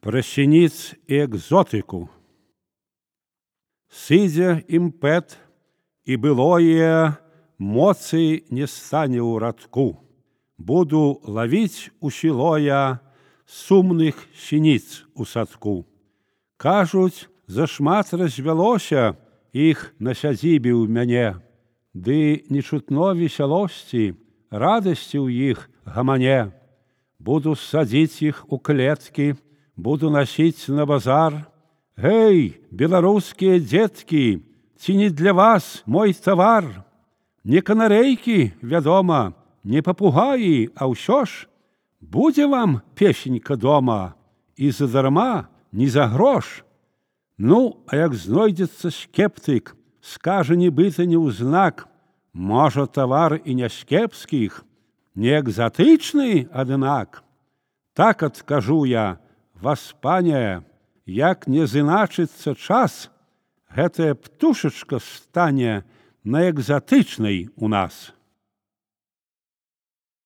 Пра сініц і экзотыку. Сыдзе імпэт, і былое моцы не стане ў радку. Буду лавіць у сілоя сумных сініц у садку. Кажуць, зашмат развялося іх на сядзібе ў мяне, ды не чутно весялосці, радасці ў іх гамане. Буду садзіць іх у клеткі, буду насіць на базар. Гэй, беларускія дзеткі, ці не для вас мой тавар? Не канарэйкі, вядома, не папугаі, а ўсё ж будзе вам песенька дома, і задарма, не за грош. Ну, а як знойдзецца скептык, скажа нібыта неўзнак, можа, тавар і не з кепскіх, не экзатычны, аднак. Так адкажу я, васпане, як не зыначыцца час, гэтая птушачка стане на экзатычнай у нас.